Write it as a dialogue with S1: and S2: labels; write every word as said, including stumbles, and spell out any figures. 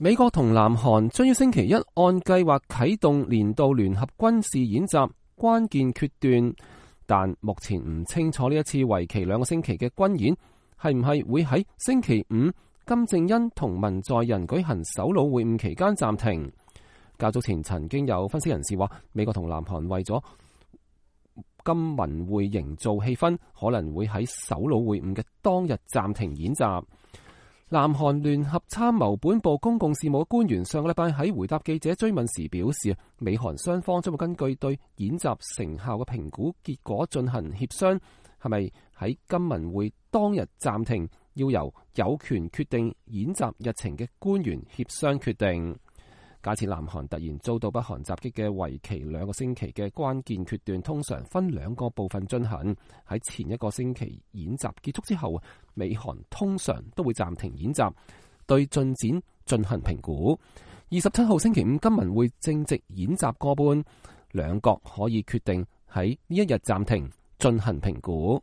S1: 美國同南韓將於星期一按計劃啟動年度聯合軍事演習關鍵決斷，但目前唔清楚呢一次為期兩個星期嘅軍演係唔係會喺星期五金正恩同文在寅舉行首腦會晤期間暫停。較早前曾經有分析人士話，美國同南韓為咗金文會營造氣氛，可能會喺首腦會晤嘅當日暫停演習。南韓聯合參謀本部公共事務官員上個禮拜喺回答記者追問時表示，美韓雙方將會根據對演習成效嘅評估結果進行協商，係咪喺金文會當日暫停，要由有權決定演習日程嘅官員協商決定。假設南韓突然遭到北韓襲擊嘅為期兩個星期嘅關鍵決斷，通常分兩個部分進行。喺前一個星期演習結束之後，美韓通常都會暫停演習，對進展進行評估。二十七號星期五金文會正值演習過半，兩國可以決定喺呢一日暫停進行評估。